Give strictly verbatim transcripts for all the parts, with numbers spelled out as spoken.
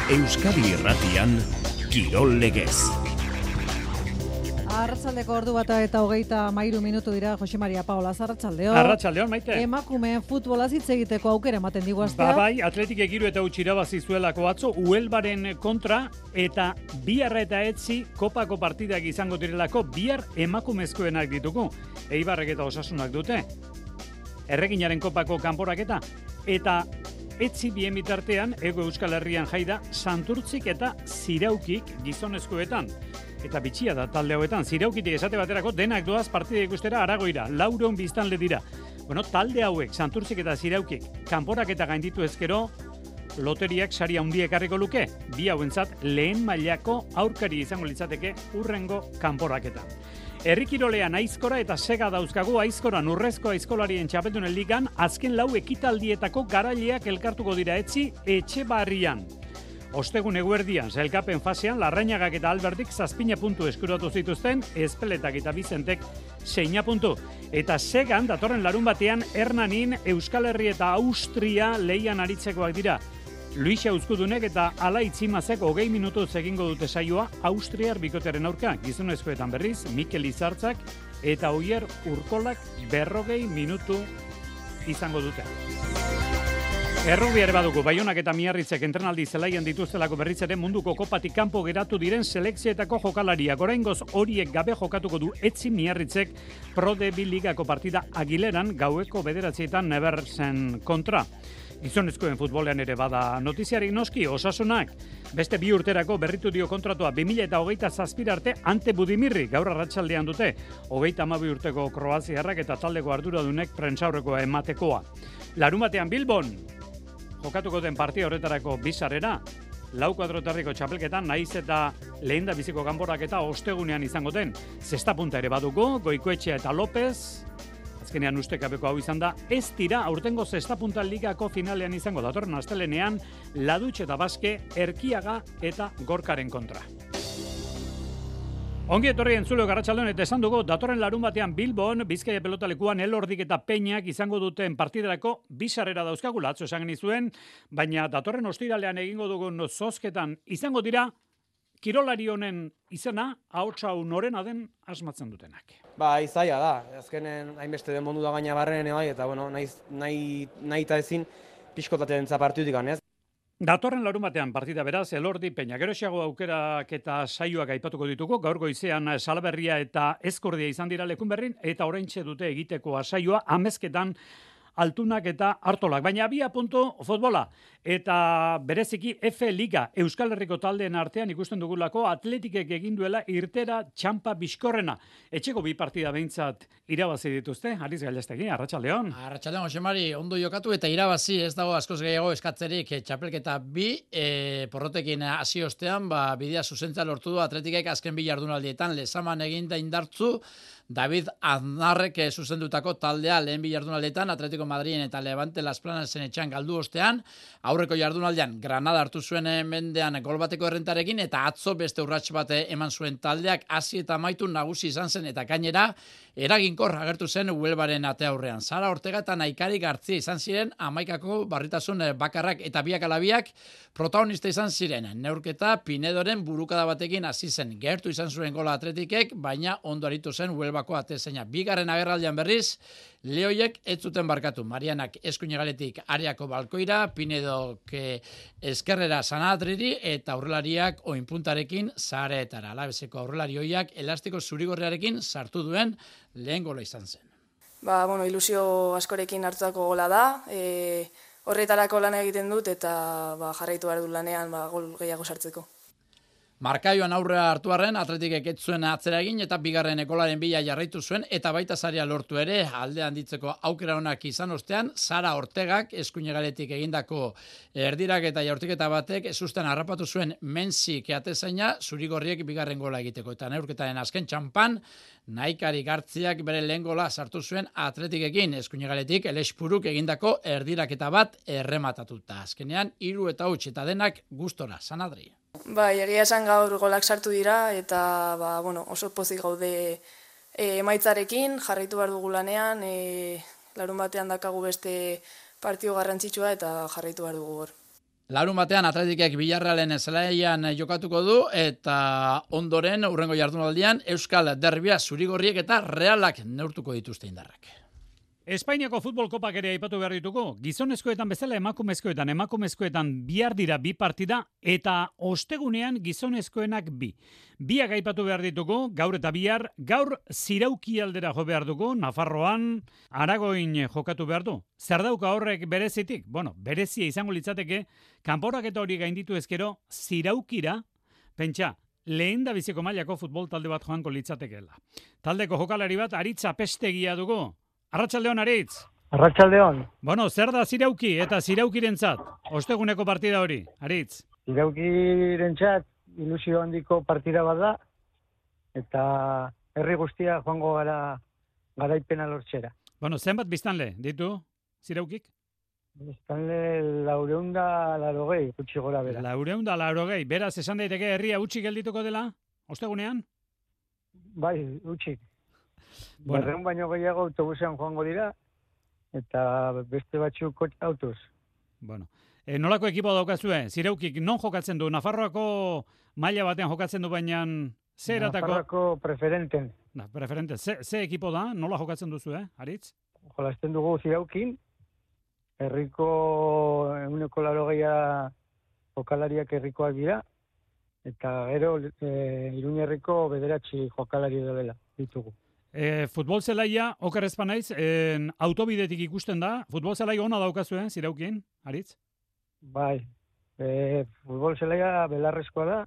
Euskadi Irratian, Kirol Legez. Arratsaldeko ordu bata eta hogeita hamairu minutu dira. Jose Maria Paola, arratsaldeon. Arratsaldeon, Maite. Emakumeen futbolaz hitz egiteko aukera ematen digu astea. Ba bai, Atletik egiru eta utzi irabazi zuelako atzo Uelbaren kontra eta bihar eta etzi kopako partidak izango direlako bihar emakumezkoenak ditugu. Eibarrek eta Osasunak dute. Erreginaren kopako kanporaketa eta etzi bien bitartean Ego Euskal Herrian jaida Santurtzik eta Ziraukik gizonezkoetan. Eta bitxia da talde hauetan, Ziraukitik esate baterako denak doaz partida ikustera Aragoira, laureun biztanle dira. Bueno, talde hauek, Santurtzik eta Ziraukik, kanporak eta gainditu ezkero, loteriak sari handia ekarriko luke, bi hauentzat lehen mailako aurkari izango litzateke urrengo kanporaketa. Herrikirolean Aizkora eta Sega dauzkagu. Aizkoran urrezko aizkolarien txapeldunen ligan, azken lau ekitaldietako garaileak elkartuko dira etzi Etxebarrian. Ostegun eguerdian, sailkapen fasean, Larrañagak eta Alberdik zazpina puntu eskuratu zituzten, Ezpeletak eta Bizentek seina puntu. Eta Segan, datorren larun batean, Hernanin, Euskal Herri eta Austria lehian aritzekoak dira. Luisa Uzkudunek eta Ala Itzimazek hogei minutuz egingo dute saioa Austriar bikotearen aurka. Gizonezkoetan berriz, Mikel Izartzak eta Oier Urkolak berrogei minutu izango dute. Errugbi ere badugu, Baionak eta Miarritzek entrenaldi zelaian dituztelako berriz ere munduko kopatik kanpo geratu diren selekzioetako jokalariak. Oraingoz horiek gabe jokatuko du etzi Miarritzek Pro D bi ligako partida Agileran gaueko bederatzietan Neversen kontra. Gizonezkoen futbolean ere bada notiziarik noski, Osasunak beste bi urterako berritu dio kontratua bi mila hogeita zazpira arte Ante Budimirri gaur arratsaldean dute. hogeita hamabi urteko kroaziarrak eta taldeko arduradunek prentsaurrekoa ematekoa. Larumatean Bilbon jokatuko den partida horretarako bizarrera, lau kuadrotarriko txapelketan, naiz eta lehen da biziko kanporak eta ostegunean izango den. Zesta punta ere baduko, Goikoetxea eta López, azkenean ustekabeko hau izan da, ez dira aurtengo zesta punta ligako finalean izango datorren astelenean, Ladutx eta Baske, Erkiaga eta Gorkaren kontra. Ongi etorri entzuleo Arratsaldeon eta esan dugu, datorren larun batean Bilbon, Bizkaia pelotalekuan Elordik eta Peñak izango duten partiderako bizarrera dauzkagula, atzo esan genizuen, baina datorren ostiralean egingo dugun zozketan izango dira, kirolari honen izena, ahotsa hau norena den asmatzen dutenak. Ba, izaia da, azkenen hainbeste den mundu da gaina barren bai, eta bueno, nahi, nahi, nahi eta ezin pixkotatea dentza partidutik ganez. Datorren larun batean partida beraz, Elordi Peña. Geroxeago aukerak eta saioak aipatuko dituko, gaur goizean Salaberria eta Ezkordia izan dira lekun berrin, eta oraintxe dute egiteko saioa amezketan Altunak eta Artolak. Baina abia puntu futbola. Eta bereziki F Liga Euskal Herriko taldeen artean ikusten dugulako Atletikek egin duela irtera txampa bizkorrena. Etxeko bi partida behintzat irabazi dituzte. Ariz Gailastegi, Arratsaldeon. Arratsaldeon, Jose Mari, ondo jokatu eta irabazi, ez dago askoz gehiago eskatzerik. Txapelketa bi, e, porrotekin hasi ostean, ba, bidea zuzentza lortu du Atletikek azken bi jardunaldietan. Lezaman egin da indartzu, David Aznarrek zuzendutako taldea lehen bi jardunaldetan Atletico Madriden eta Levante Las Planesen etxean galdu ostean, aurreko jardunaldean Granada hartu zuen mendean gol bateko errentarekin eta atzo beste urrats bate eman zuen taldeak hasi eta amaitu nagusi izan zen eta gainera eraginkor agertu zen Huelvaren ate aurrean. Sara Ortega eta Naikari Gartzia izan ziren hamaikako barritasun bakarrak eta biak alabiak protagonista izan ziren. Neurketa Pinedoren burukada batekin hasi zen. Gertu izan zuen gola Atletikek, baina ondo aritu zen Huelvako atezaina. Bigarren agerraldian berriz, Lehoiek ez zuten barkatu. Marianak eskuinegaletik areako balkoira, Pinedok eskerrera Sanadriri eta aurrelariak oinpuntarekin zareetara. Alabezeko aurrelari hoiak elastiko zurigorriarekin sartu duen lehen gola izan zen. Ba, bueno, ilusio askorekin hartutako gola da. E, horretarako lan egiten dut eta ba, jarraitu behar du lanean ba, gol gehiago sartzeko. Markaioan aurrea hartu arren, Atletikek ez zuen atzera egin eta bigarren golaren bila jarraitu zuen eta baita saria lortu ere, alde handitzeko aukera onak izan ostean, Sara Ortegak eskuinegaletik egindako erdirak eta jaurtiketa batek ezusten harrapatu zuen Menzik atezaina zurigorriek bigarren gola egiteko. Eta neurketaren azken txampan, Naikari Gartziak bere lehen gola sartu zuen Atletikekin, eskuinegaletik Elespuruk egindako erdiraketa bat errematatuta. Azkenean, hiru eta huts eta denak gustora, Sanadri. Bai, egia esan gaur golak sartu dira eta ba, bueno, oso pozik gaude e, emaitzarekin, jarraitu behar dugu lanean, e, larun batean dakagu beste partio garrantzitsua eta jarraitu behar dugu hor. Larun batean Atletikek Villarrealen zelaian jokatuko du eta ondoren hurrengo jardunaldian Euskal Derbia Zurigorriek eta Realak neurtuko dituzte indarrak. Espainiako futbol kopak ere aipatu behar ditugu. Gizonezkoetan bezala emakumezkoetan, emakumezkoetan bihar dira bi partida eta ostegunean gizonezkoenak bi. Biak aipatu behar ditugu, gaur eta bihar, gaur Zirauki aldera jo behar dugu, Nafarroan, Aragoin jokatu behar du. Zer dauka horrek berezitik? Bueno, berezia izango litzateke, kanporak eta hori gainditu ezkero, Ziraukira, pentsa, lehen da biziko mailako futbol talde bat joanko litzatekeela. Taldeko jokalari bat, Aritz Apestegia dugu. Arratsaldeon, Aritz. Arratsaldeon. Bueno, zer da Zirauki eta Ziraukirentzat? Osteguneko partida hori, Aritz. Ziraukirentzat ilusio handiko partida bat da eta herri guztia joango gara garaipena lortzera. Bueno, zenbat biztanle ditu Ziraukik? Biztanle laureunda larogei, gutxi gora bera. Laureunda larogei, beraz esan daiteke herria utzi geldituko dela ostegunean? Bai, utzi. Bueno. Berreun baino gehiago autobusean joango dira, eta beste batzuk autoz. Bueno, e, nolako ekipo daukazue? Ziraukik non jokatzen du? Nafarroako maila batean jokatzen du, baina ze eratako? Nafarroako preferenten. Na, preferente. Ze, ze ekipo da? Nola jokatzen duzu, eh, Aritz? Jolasten dugu Ziraukin, herriko ehuneko laurogeia jokalariak herrikoak dira, eta gero e, Iruñerriko bederatzi jokalari dela ditugu. E, futbol zelaia, oker ezpa naiz, en, autobidetik ikusten da, futbol zelaia ona daukazu, eh, Ziraukin, Aritz? Bai, e, futbol zelaia belarrezkoa da,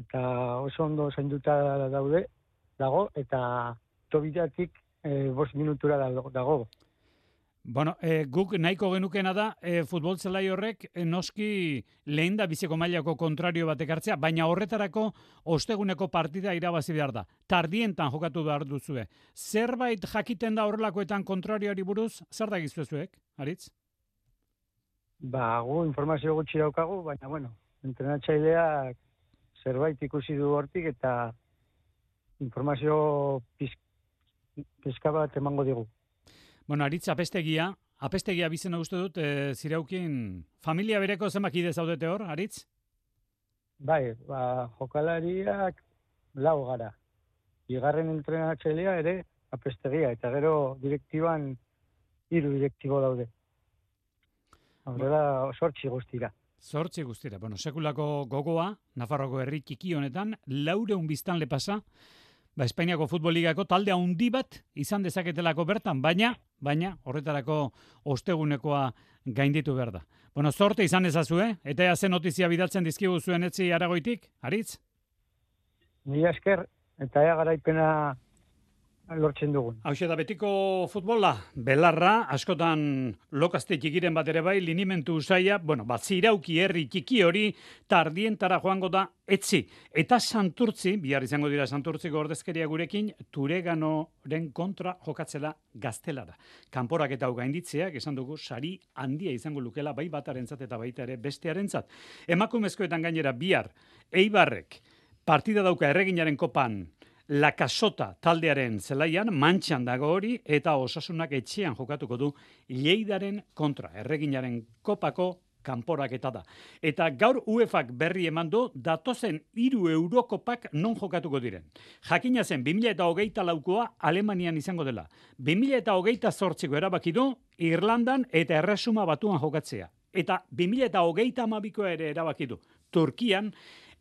eta oso ondo zainduta daude, dago, eta autobidetik e, bost minutura dago. Bueno, e, guk nahiko genukena da e, futbol zelai horrek e, noski lehen da biziko mailako kontrario batek hartzea, baina horretarako osteguneko partida irabazi behar da. Tardientan jokatu behar duzue. Zerbait jakiten da horrelakoetan kontrarioari buruz, zer da gizuezuek, Aritz? Ba, gu informazio gutxi daukagu, baina bueno, entrenatzaileak zerbait ikusi du hortik eta informazio pizka bat emango digu. Bueno, Aritz Apestegia, Apestegia bizena uste dut, e, Ziraukin familia bereko zenbak ide zaudete hor, Aritz? Bai, ba, jokalariak lau gara. Bigarren entrenatzailea ere Apestegia, eta gero direktiban hiru direktibo daude. Horrela, sortzi guztira. Zortzi guztira. Bueno, sekulako gogoa, Nafarroko herri txiki honetan, laureun biztanle pasa, ba, Espainiako futboligako talde handi bat izan dezaketelako bertan, baina, baina horretarako ostegunekoa gainditu behar da. Bueno, zorte izan ezazue, eta ea zen notizia bidaltzen dizkigu zuen etzi Aragoitik, Aritz? Mila esker, eta ea garaipena lortzen dugun. Hauxe da betiko futbola, belarra, askotan lokazte txikiren bat ere bai, linimentu usaia, bueno, bat Zirauki herri txiki hori tardientara joango da etzi. Eta Santurtzi, bihar izango dira Santurtziko ordezkeria gurekin, Tureganoren kontra jokatzela Gaztelara. Kanporak eta hau gainditzeak, esan dugu, sari handia izango lukela bai batarentzat eta baita ere bestearentzat. Emakumezkoetan gainera bihar, Eibarrek, partida dauka Erreginaren kopan, La Casota taldearen zelaian, Mantxan dago hori, eta Osasunak etxean jokatuko du Lleidaren kontra, Erreginaren kopako kanporaketa da. Eta gaur UEFak berri eman du datozen hiru Eurokopak non jokatuko diren. Jakina zen bi mila hogeita laukoa Alemanian izango dela. bi mila hogeita zortziko erabaki du Irlandan eta Erresuma Batuan jokatzea. Eta bi mila hogeita hamabikoa ere erabaki du Turkian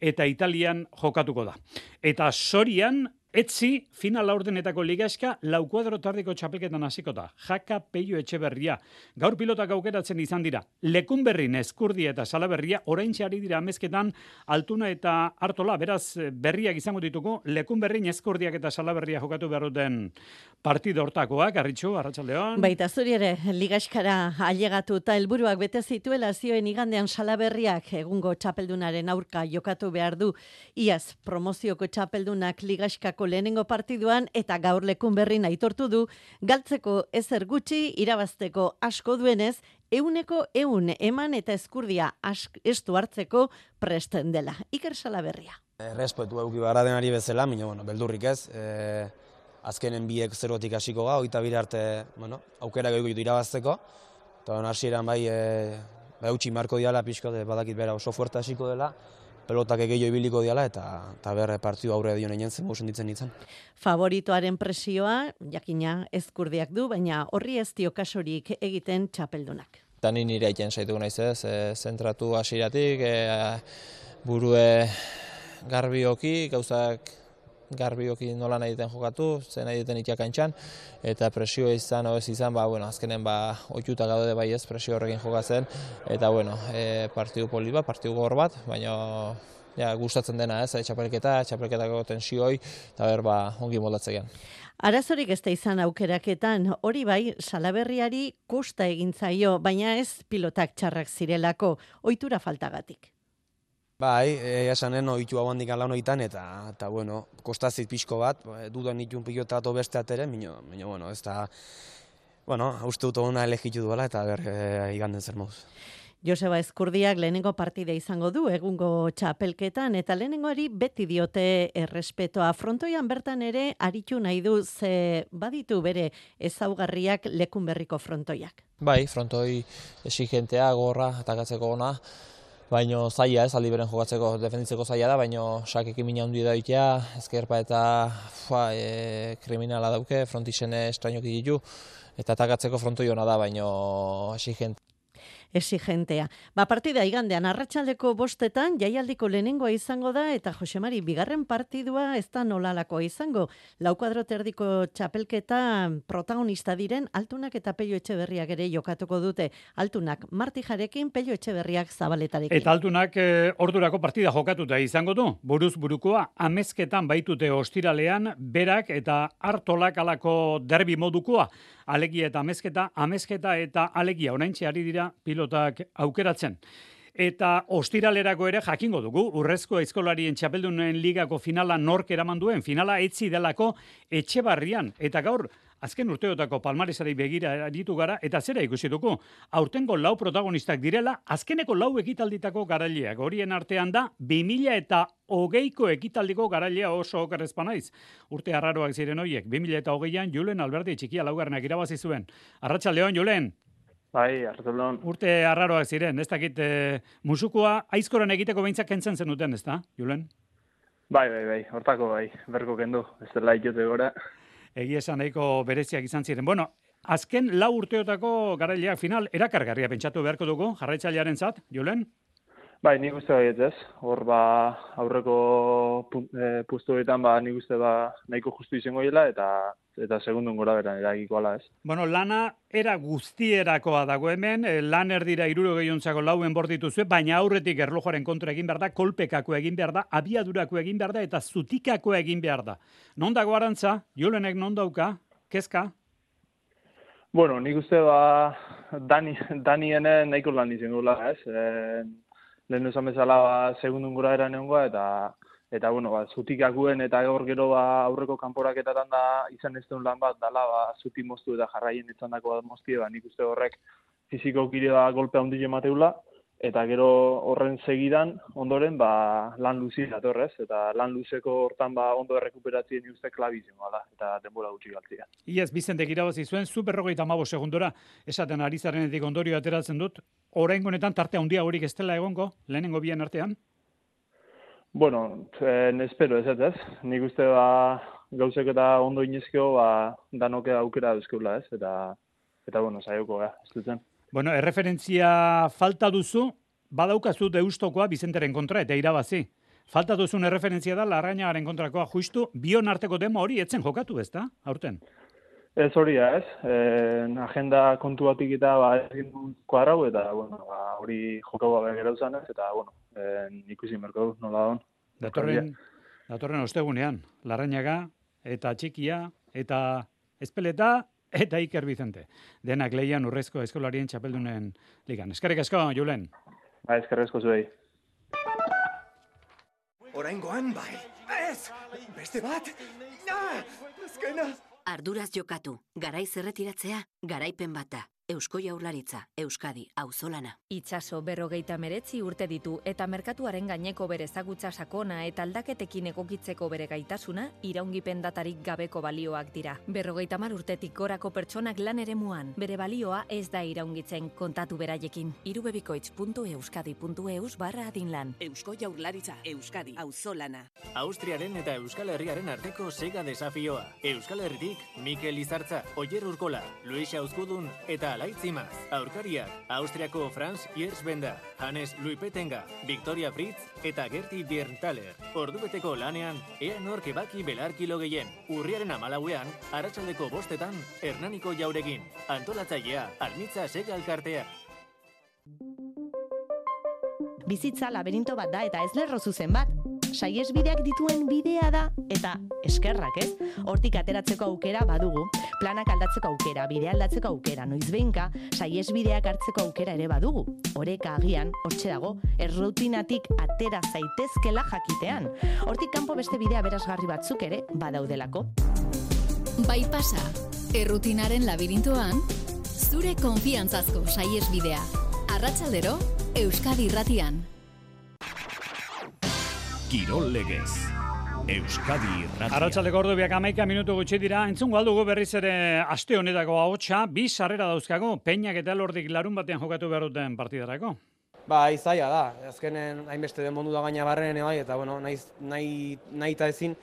eta Italian jokatuko da. Eta Sorian, etzi, final laurdenetako ligaska, lau kuadro tardiko txapelketan hasiko da. Jaka Peio Etxeberria. Gaur pilotak aukeratzen izan dira. Lekunberrin, Eskurdia eta Salaberria, oraintxe ari dira amezketan, Altuna eta Artola, beraz berriak izango dituko, Lekunberrin, Eskurdiak eta Salaberria jokatu behar duten partido hortakoak, Arritxu, Arratsaldeon. Baita zuri ere, ligaskara ailegatu eta helburuak bete zituela zioen igandean Salaberriak egungo txapeldunaren aurka jokatu behar du. Iaz, promozioko txapeldunak ligaskako lehenengo partiduan eta gaur Lekunberrin aitortu du, galtzeko ezer gutxi irabazteko asko duenez, euneko eun eman eta Eskurdia estu hartzeko presten dela. Iker Salaberria. Errespetu euki barra denari bezala, mina, bueno, beldurrik ez. E, azkenen biek zerotik hasiko ga, oita bire arte, bueno, aukera gehiago irabazteko. Eta bueno, hasieran bai, e, eutxi marko diala, pixko, badakit bera oso fuerte hasiko dela, pelotak gehiago ibiliko diala, eta, eta berre partidu aurre dion egin zen, mosen ditzen nintzen. Favoritoaren presioa, jakina ezkurdiak du, baina horri ez dio kasorik egiten txapeldunak. Eta ni nire egiten saituko naiz ez, e, zentratu hasieratik, e, burue garbioki, gauzak garbioki nola nahi duten jokatu, zen nahi duten itiakantxan, eta presio izan, oez izan, ba, bueno, azkenen ba, oituta gaude bai ez, presio horrekin jokatzen, eta, bueno, e, partidu polit bat, partidu gor bat, baina ja, gustatzen dena ez, e, txapelketa, txapelketako tensioi, eta ber, ba, ongi moldatzean. Arazorik ez da izan aukeraketan, hori bai, Salaberriari kosta egin zaio, baina ez pilotak txarrak zirelako, ohitura faltagatik. Bai, esanen ohitu hau handik lan hoitan, eta, eta bueno, kostazit pixko bat, dudan itun pilota ato beste atere, minio, minio, bueno, ez da, bueno, uste dut ona elegitu duela, eta ber, e, iganden zer moduz. Joseba Ezkurdiak lehenengo partida izango du egungo txapelketan, eta lehenengoari beti diote errespetoa. Frontoian bertan ere aritu nahi du, ze baditu bere ezaugarriak lekun berriko frontoiak. Bai, frontoi exigentea, gorra, atakatzeko ona, baino zaila ez, aldi beren jokatzeko, defenditzeko zaila da, baino sakekin mina hundi da itea, ezkerpa eta fua, e, kriminala dauke, frontixene estrainoki ditu, eta atakatzeko frontoi ona da, baino exigente. Exigentea. Ba, partida igandean, arratsaldeko bostetan, jaialdiko lehenengoa izango da, eta Josemari, bigarren partidua ez da nolalakoa izango. Lau kuadroterdiko txapelketa protagonista diren, Altunak eta Pello Etxeberriak ere jokatuko dute. Altunak Martijarekin, Pello Etxeberriak Zabaletarekin. Eta Altunak e, ordurako partida jokatuta izango du. Buruz burukoa, amezketan baitute ostiralean, berak eta hartolak alako derbi modukoa. Alegia eta amezketa, amezketa eta alegia oraintxe ari dira pilotak aukeratzen. Eta ostiralerako ere jakingo dugu, urrezko aizkolarien txapeldunen ligako finala nork eraman duen, finala etzi delako Etxebarrian. Eta gaur, azken urteotako palmaresari begira aritu gara, eta zera ikusi dugu, aurtengo lau protagonistak direla, azkeneko lau ekitalditako garaileak. Horien artean da, bi mila eta hogeiko ekitaldiko garailea oso okerrezpa naiz. Urte arraroak ziren horiek, bi mila eta hogeian Julen Alberdi txikia laugarrenak irabazi zuen. Arratsaldeon, Julen. Bai, arratsaldeon. Urte arraroak ziren, ez dakit e, musukoa aizkoran egiteko behintzak kentzen zenuten, ez da, Julen? Bai, bai, bai, hortako bai, berko kendu, ez dela itote gora. Egia esan nahiko bereziak izan ziren. Bueno, azken lau urteotako garaileak final erakargarria pentsatu beharko dugu, jarraitzailearen zat, Julen? Bai, nik uste baiet ez. Hor ba aurreko e, pustuetan ba nik uste ba nahiko justu izango dela eta eta segundun gora beran eragikoala ez. Bueno, lana era guztierakoa dago hemen, lan erdira hirurogeiuntzako lauen bordituzue, baina aurretik erlojuaren kontra egin behar da, kolpekako egin behar da, abiadurako egin behar da eta zutikako egin behar da. Non dago arantza? Julenek non dauka? Kezka? Bueno, nik uste ba Dani Danienen nahiko lan izango dela ez. E, lehen esan bezala ba, segundun gora eran egongoa, eta eta bueno, ba, zutikakuen eta gaur gero ba, aurreko kanporaketatan da izan ez duen lan bat dala ba, zutik moztu eta jarraien izan dako moztie, ba, nik uste horrek fiziko kire ba, golpea hundi emateula, eta gero horren segidan ondoren ba, lan luzi datorrez, eta lan luzeko hortan ba, ondo errekuperatzien nik uste klabizien da, eta denbora gutxi galtzia. Iaz, Bizentek irabazi zuen, zu berrogeita hamabost segundora, esaten ari zarenetik ondorio ateratzen dut, oraingo honetan tarte handia horik ez dela egongo, lehenengo bien artean? Bueno, en espero ez ez, nik uste ba, gauzek eta ondo inezkeo ba, danoke aukera duzkeula ez, eta, eta bueno, saioko ga, ez dutzen. Bueno, erreferentzia falta duzu, badaukazu Deustokoa Bizenteren kontra eta irabazi. Falta duzun erreferentzia da Larrañagaren kontrakoa, justu bion arteko demo hori etzen jokatu, ez da, aurten? Ez hori da, ez. E, agenda kontu batik eta ba, egin kuadrau, eta bueno, ba, hori jokau gabe gero zan ez, eta bueno, e, ikusi merko du, nola don. Datorren, datorren ostegunean, Larrañaga eta Txikia eta Ezpeleta eta Iker Bizente. Denak leian urrezko eskolarien txapeldunen ligan. Eskerrik asko, Julen. Ba, eskerrik asko zuei. Oraingoan bai. Ez! Beste bat! Ah! Azkena! Arduraz jokatu, garaiz erretiratzea, garaipen bata. Eusko Jaurlaritza, Euskadi, auzolana. Itsaso berrogeita meretzi urte ditu eta merkatuaren gaineko bere ezagutza sakona eta aldaketekin egokitzeko bere gaitasuna iraungipen datarik gabeko balioak dira. Berrogeita mar urtetik gorako pertsonak lan eremuan, bere balioa ez da iraungitzen kontatu beraiekin. irubebikoitz puntu euskadi puntu eus barra adinlan. Eusko Jaurlaritza, Euskadi, auzolana. Austriaren eta Euskal Herriaren arteko sega desafioa. Euskal Herritik, Mikel Izartza, Oyer Urkola, Luis Auskudun eta Alaitzimaz. Aurkariak, Austriako Franz Yersbenda, Hannes Luipetenga, Victoria Fritz eta Gerti Bierntaler. Ordubeteko lanean, ea nork ebaki belarkilo gehien. Urriaren amalauean, arratsaldeko bostetan, Hernaniko Jauregin. Antolatzailea, Almitza Sega Elkartea. Bizitza laberinto bat da eta ez lerro zuzen bat. Saihesbideak dituen bidea da eta eskerrak, ez? Hortik ateratzeko aukera badugu, planak aldatzeko aukera, bidea aldatzeko aukera, noizbehinka saihesbideak hartzeko aukera ere badugu. Oreka agian, hortxe dago, errutinatik atera zaitezkela jakitean. Hortik kanpo beste bidea berazgarri batzuk ere badaudelako. Bai pasa, errutinaren labirintoan, zure konfiantzazko saihesbidea. Arratsaldero, Euskadi Irratian. Kirol Legez. Euskadi Irratia. Arratsaldeko ordubiak hamaika minutu gutxi dira. Entzungo aldugu berriz ere aste honetako ahotsa, bi sarrera dauzkago, Peñak eta Elordik larun batean jokatu behar duten partidarako. Ba, izaia da. Azkenen hainbeste den mondu da gaina barren bai, eta bueno, nahi, nahi, nahi eta ezin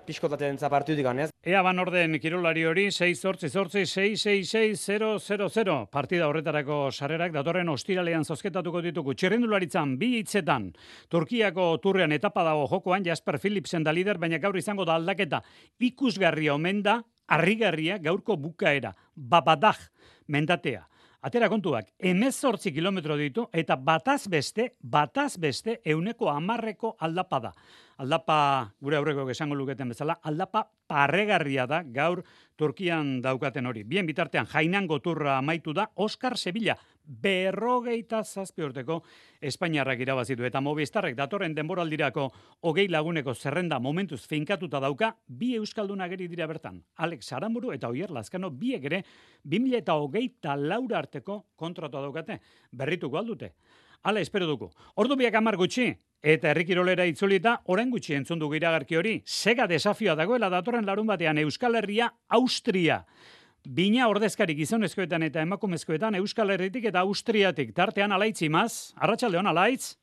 pixkotatzen partitutik ganez. Ea ban orden kirolari hori, sei zortzi zortzi, sei sei sei, zero zero zero. Partida horretarako sarrerak datorren ostiralean zozketatuko ditugu. Txirrindularitzan bi hitzetan. Turkiako turrean etapa dago jokoan, Jasper Philipsen da lider, baina gaur izango da aldaketa. Ikusgarria omen da, harrigarria gaurko bukaera. Babadag mendatea. Atera kontuak, hemezortzi kilometro ditu eta bataz beste, bataz beste euneko hamarreko aldapa da. Aldapa, gure aurreko esango luketen bezala, aldapa parregarria da gaur Turkian daukaten hori. Bien bitartean, Jainango turra amaitu da, Oscar Sevilla, berrogeita zazpi urteko Espainiarrak irabazitu. Eta Movistarrek datorren denboraldirako hogei laguneko zerrenda momentuz finkatuta dauka, bi euskaldunak eri dira bertan. Alex Aramburu eta Oier Lazkano biek ere bi mila hogeita laura arteko kontratua daukate. Berrituko aldute. Hala espero dugu. Ordu biak hamar gutxi eta herrikirolera itzulita orain gutxi entzun dugu iragarki hori. Sega desafioa dagoela datorren larun batean Euskal Herria, Austria. Bina ordezkari gizonezkoetan eta emakumezkoetan Euskal Herritik eta Austriatik. Tartean Alaitzimaz. Arratsaldeon Alaitz.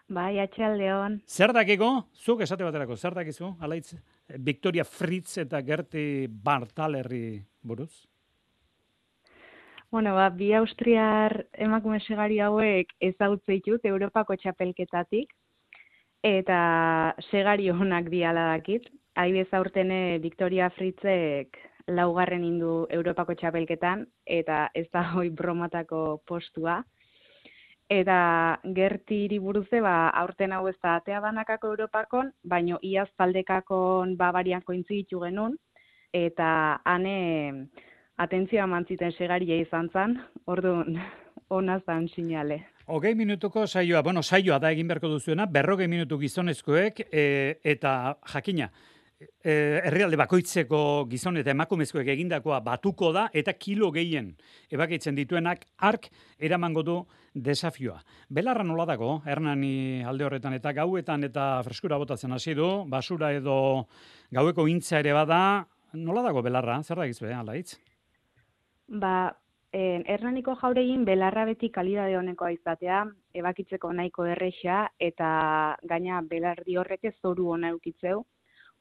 Bai, atxaldeon. Zer dakiko? Zuk esate baterako, zer dakizu, Alaitz? Victoria Fritz eta Gerti Bartalerri buruz? Bueno, ba, bi austriar emakume segari hauek ezagutze ditut Europako txapelketatik, eta segari honak diala dakit. Adibidez aurtene Victoria Fritzek laugarren indu Europako txapelketan, eta ez da hoi bromatako postua. Eta Gertiri buruze, ba, aurten hau ez da atea banakako Europakon, baino iaz taldekakon Bavarian kointziditu genuen, eta hane atentzioa mantziten segaria izan zan, orduan ona zan sinale. Hogei minutuko saioa, bueno, saioa da egin beharko duzuena, berrogei minutu gizonezkoek, e, eta jakina, e, herrialde bakoitzeko gizon eta emakumezkoek egindakoa batuko da, eta kilo gehien ebakitzen dituenak ark eramango du desafioa. Belarra nola dago, Hernani alde horretan eta gauetan eta freskura botatzen hasi du, basura edo gaueko intza ere bada, nola dago belarra, zer da gizue, Alaitz? Ba, eh, Hernaniko jauregin belarra beti kalidade honekoa izatea, ebakitzeko nahiko erresa eta gaina belardi horrek ez zoru ona eukitzeu.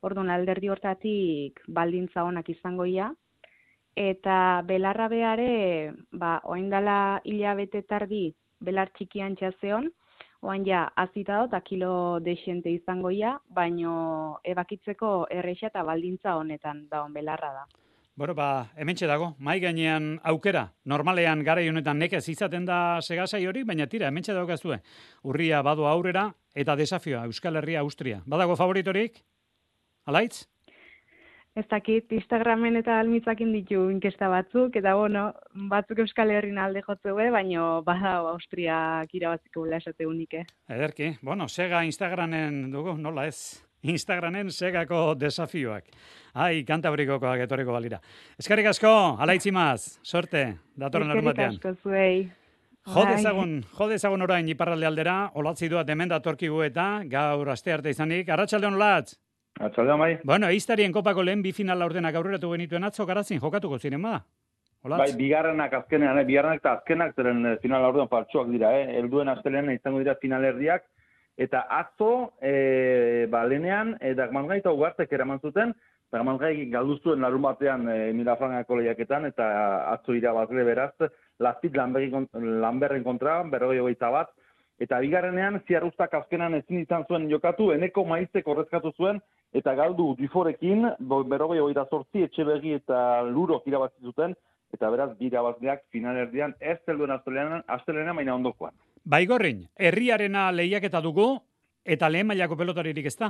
Orduan alderdi hortatik baldintza onak izangoia. Eta belarra beare, ba, oindala hilabete tardi belar txikian txazeon, oain ja azita dut, kilo desente izangoia, baino ebakitzeko erresa eta baldintza honetan daun belarra da. Bueno, ba, hementxe dago, mai gainean aukera. Normalean garai honetan nekez izaten da segasai hori, baina tira, hementxe daukazue. Urria badu aurrera eta desafioa Euskal Herria, Austria. Badago favoritorik? Alaitz? Ez dakit, Instagramen eta almitzakin ditu inkesta batzuk, eta bueno, batzuk Euskal Herrin alde jotzeue, baina badago Austriak irabaziko bela esate unike. Ederki, bueno, sega Instagramen dugu, nola ez? Instagramen segako desafioak. Ai, Kantabrikokoak etorriko balira. Eskerrik asko, alaitzimaz, sorte, datorren larun batean. Eskerrik asko zuei. Jodezagun, jodezagun orain iparralde aldera, olatzi duat hemen datorkigu eta gaur aste arte izanik. Arratsaldeon Olatz. Arratsaldeon bai. Bueno, Eiztarien kopako lehen bi final laurdenak aurreratu genituen atzo Garazin jokatuko ziren bada. Olatz. Bai, bigarrenak azkenean, eh, bigarrenak eta azkenak zeren final laurden partxoak dira, eh. Helduen astelean izango dira finalerdiak. Eta atzo, e, ba, lehenean, e, Dagmangai eta Ugartek eraman zuten, Dagmangai galdu zuen larun batean e, Mirafrangako lehiaketan, eta atzo irabazle beraz, Lastit Lanberren kontra, berrogei hogeita bat, eta bigarrenean, Ziarrustak azkenan ezin izan zuen jokatu, Eneko Maizek horrezkatu zuen, eta galdu Duforekin, berrogei hogeita zortzi, Etxebegi eta Lurok irabazi zuten, eta beraz, bi irabazleak finalerdian, ez zelduen astelenean, astelenean baina ondokoan. Baigorrin, herriarena lehiaketa dugu, eta lehen mailako pelotaririk ez da?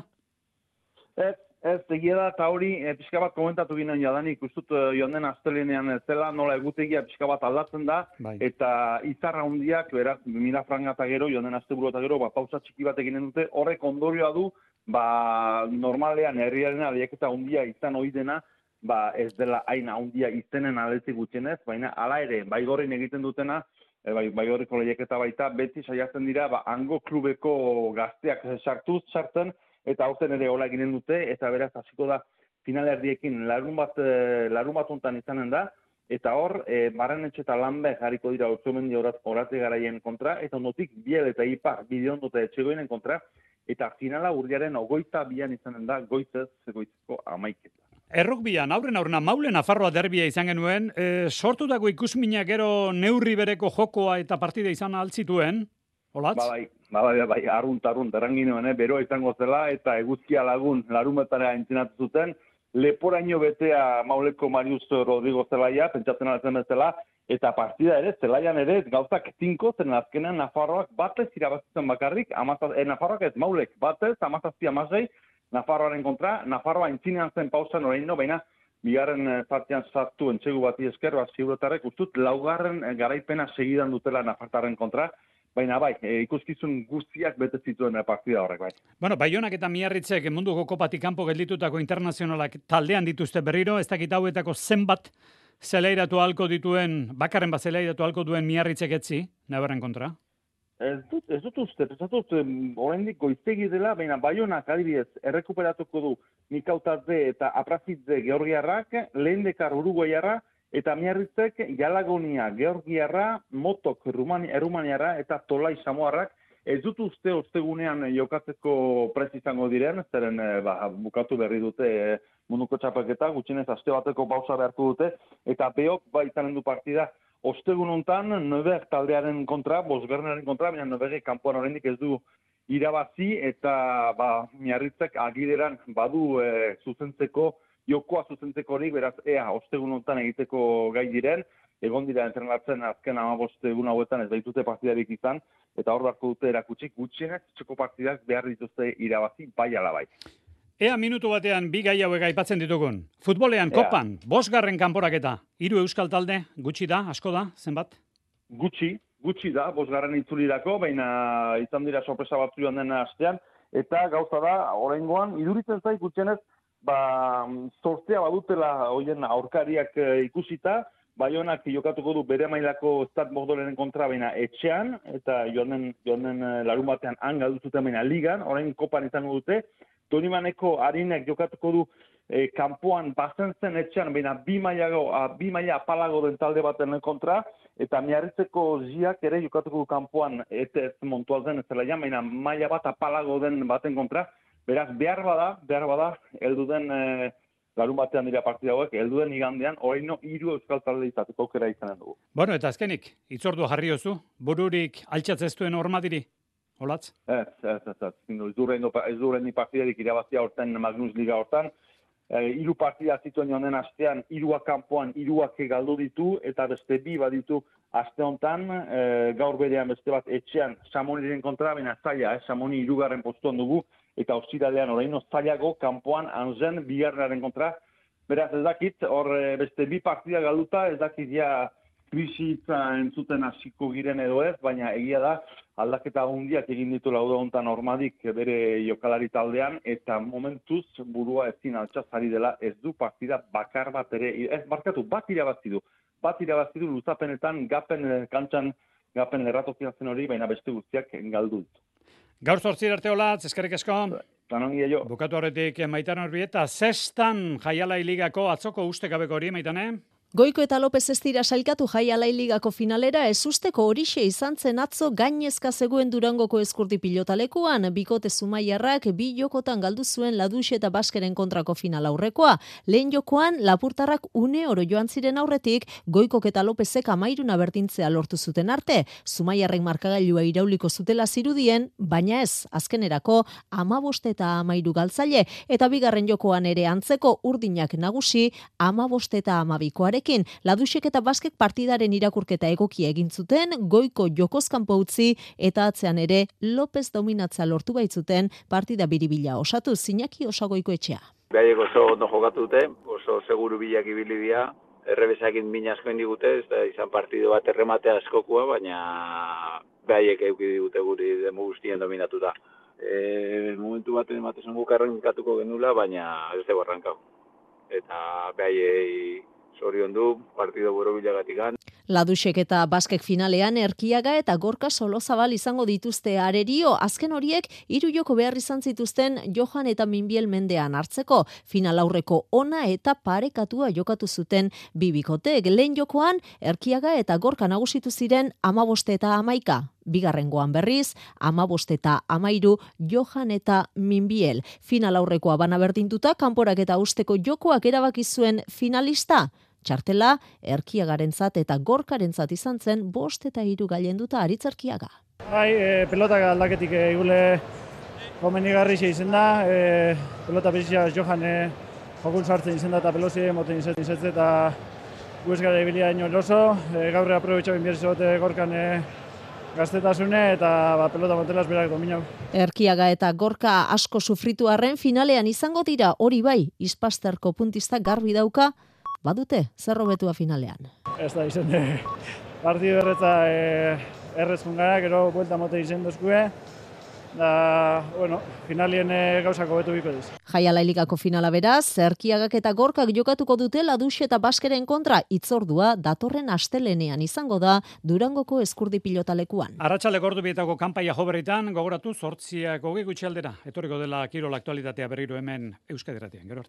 Ez, ez, egia da, eta hori, e, pixka bat komentatu ginen jadanik, ustut e, joan den astelenean zela, nola egutegia pixka bat aldatzen da, bai. Eta izarra hundiak, beraz, Mirafranga eta gero, joan den asteburu eta gero, ba, pausa txiki bat eginen dute, horrek ondorioa du, ba, normalean herriarena lehiaketa hundia izan ohi dena, ba, ez dela hain handia izenen aldetik gutxienez, baina hala ere, Baigorrin egiten dutena, E, bai, Baigorriko lehiaketa baita, beti saiatzen dira, ba, hango klubeko gazteak sartuz, sartzen, eta aurten ere hola eginen dute, eta beraz hasiko da finalerdiekin larun bat, larun bat hontan izanen da, eta hor, e, Barrenetxe eta Lanber jarriko dira Otsomendi Orate Garaien kontra, eta ondotik Biel eta Ipar Bideondo eta Etxegoinen kontra, eta finala urriaren ogoita bian izanen da, goizez, goizeko amaiketa. Errukbian, aurren aurrena, Maulen Nafarroa derbia izan genuen, e, sortutako ikusminak gero neurri bereko jokoa eta partida izan altzituen, Olatz? Ba, bai, ba, bai, bai, arrunt, arrunt, erranginuen, eh, beroa izango zela, eta eguzkia lagun larumetara entzinatu zuten, leporaino betea Mauleko Marius Rodrigo zelaia, pentsatzen altzen bezala, eta partida ere, zelaian ere, gauzak tinko, zen azkenean Nafarroak batez irabazitzen bakarrik, amazaz, eh, Nafarroak ez Maulek, batez, amazazpi amazei, Nafarroaren kontra, Nafarroa intzinean zen pausan orain no, baina bigarren partian sartu entxegu bati esker, bat ziuretarrek ustut, laugarren garaipena segidan dutela Nafartarren kontra, baina bai, e, ikuskizun guztiak bete zituen partida horrek bai. Bueno, Baionak eta Miarritzek munduko kopatik kanpo gelditutako internazionalak taldean dituzte berriro, ez dakit hauetako zenbat zelairatu halko dituen, bakarren bat zelairatu halko duen Miarritzek etzi, Navarren kontra? Ez dut, ez dut uste, pensatut, oraindik goiztegi dela, baina Baionak adibidez errekuperatuko du Mikautazde eta Aprazitze Georgiarrak, Lehendekar Uruguaiarra, eta Miarritzek Jalagonia Georgiarra, Motok Errumaniarra eta Tolai Samoarrak. Ez dut uste ostegunean jokatzeko prest izango diren, zeren ba, bukatu berri dute munduko txapelketa, gutxienez aste bateko pausa beharko dute, eta Beok ba izanen du partida, ostegun hontan, Neuberg taldearen kontra, Bosgarrenaren kontra, baina Neubergek kanpoan oraindik ez du irabazi, eta ba, Miarritzek agideran badu e, zuzentzeko, jokoa zuzentzeko horik, beraz, ea, ostegun hontan egiteko gai diren, egon dira entrenatzen azken hamabost egun hauetan ez baitute partidarik izan, eta hor beharko dute erakutsik gutxienez, txeko partidak behar dituzte irabazi, bai ala bai. Ea minutu batean bi gai hauek aipatzen ditugun. Futbolean, Ea. Kopan, bosgarren kanporaketa. Hiru euskal talde, gutxi da, asko da, zenbat? Gutxi, gutxi da, bosgarren itzulirako, baina izan dira sorpresa batzu joan den astean, eta gauza da, oraingoan, iduritzen zait gutxienez, ba, sortzea badutela hoien aurkariak ikusita, Baionak jokatuko du bere mailako Stade Bordelenen kontra baina etxean, eta joanen, joanen larun batean han galdu zuten baina ligan, orain kopan izango dute, Donimaneko harinek jokatuko du e, kanpoan bazen zen etxean, baina bi mailago, bi maila apalago den talde baten kontra, eta Miarritzeko ziak ere jokatuko du kanpoan eta ez montuazen ez zela jan, baina maila bat apalago den baten kontra, beraz behar bada, behar bada, heldu den e, larun batean dira partida hauek, helduen igandean, oraino hiru euskal talde izateko aukera izanen dugu. Bueno, eta azkenik, hitzordua jarri ozu, bururik altxatzeztuen hormatiri? Olatz? Ez, ez, ez, ez. Ez duren ni partidarik irabazia horten Magnus Liga hortan. E, iru partida zituen joan den astean, iruak kanpoan, iruak galdu ditu, eta beste bi baditu aste hontan, e, gaur berean beste bat etxean Samoniren kontra, baina zaila, eh? Samoni irugarren postuan dugu, eta ostiralean oraino zailago kanpoan Anzen bigarrenaren kontra. Beraz ez dakit, hor beste bi partida galduta, ez dakit ja krisitza entzuten hasiko giren edo ez, baina egia da, aldaketa hundiak egin ditu lauda hontan Ormadik bere jokalari taldean, eta momentuz burua ezin altxazari dela, ez du partida bakar bat ere, ez barkatu, bat irabazi du, bat irabazi du luzapenetan, gapen kantxan, gapen lerratokia zen hori, baina beste guztiak galdu ditu. Gaur zortzir arte olatz, eskerrik asko. Tanongia jo. Bukatu horretik Maitane Orbieta, zestan Jaialai Ligako atzoko ustekabeko hori, Maitane? Goiko eta Lopez ez dira sailkatu Jaialai Ligako finalera, ez usteko horixe izan zen atzo gainezka zegoen Durangoko eskurdi pilotalekuan, bikote Zumaiarrak bi jokotan galdu zuen Ladux eta Baskeren kontrako final aurrekoa. Lehen jokoan, Lapurtarrak une oro joan ziren aurretik, Goikok eta Lopezek amairuna bertintzea lortu zuten arte. Zumaiarrek markagailua irauliko zutela zirudien, baina ez, azkenerako amabost eta amairu galtzaile, eta bigarren jokoan ere antzeko urdinak nagusi, amabost eta amabikoare. Laduxek eta Baskek partidaren irakurketa egokia egin zuten, Goiko jokozkanpo utzi eta atzean ere Lopez dominatza lortu baitzuten partida biribila osatu Zinaki Osagoiko etxea. Behaiek oso ondo jokatu dute, oso seguru bilak ibili dira, errebezakin min asko indigute, ez da izan partido bat erremate askokua, baina behaiek euki digute guri demo guztien dominatuta. E, momentu baten ematezen guk arrankatuko genula, baina ez dugu arrankau. Eta behaiei zorion du, partido borobilagatikan. Laduxek eta Baskek finalean Erkiaga eta Gorka Solozabal izango dituzte arerio, azken horiek hiru joko behar izan zituzten Johan eta Minbiel mendean hartzeko. Final aurreko ona eta parekatua jokatu zuten bibikotek. Lehen jokoan Erkiaga eta Gorka nagusitu ziren amabost eta amaika. Bigarrengoan berriz, amabost eta amairu Johan eta Minbiel. Final aurrekoa bana berdinduta, kanporak eta usteko jokoak erabaki zuen finalista. Txartela, Erkiagarentzat eta Gorkarentzat izan zen bost eta hiru gailenduta Aritz Erkiaga. Bai, e, pelotak aldaketik egule komenigarri izen da, e, pelota bizia Johan e, jokun sartzen izen da eta pelozi moten izen izetze eta guez gara ibilia ino loso, e, gaur aprobetxabin bierzote Gorkan e, gaztetasune eta ba, pelota motelaz berak dominau. Erkiaga eta Gorka asko sufritu arren finalean izango dira hori bai, Ispasterko puntista garbi dauka, badute, zer hobetua finalean. Ez da izen, e, partidu erretza e, errezkun gara, gero buelta mote izen dozkue, da, bueno, finalien e, gauzako betu biko diz. Jaialai Ligako finala beraz, Erkiagak eta Gorkak jokatuko dute Ladux eta Baskeren kontra, itzordua datorren astelenean izango da Durangoko eskurdi pilotalekuan. Arratsaleko ordu bietako kanpaia joberritan, gogoratu zortziak hogei gutxi aldera, etorriko dela kirol aktualitatea berriro hemen Euskadi Irratian. Gero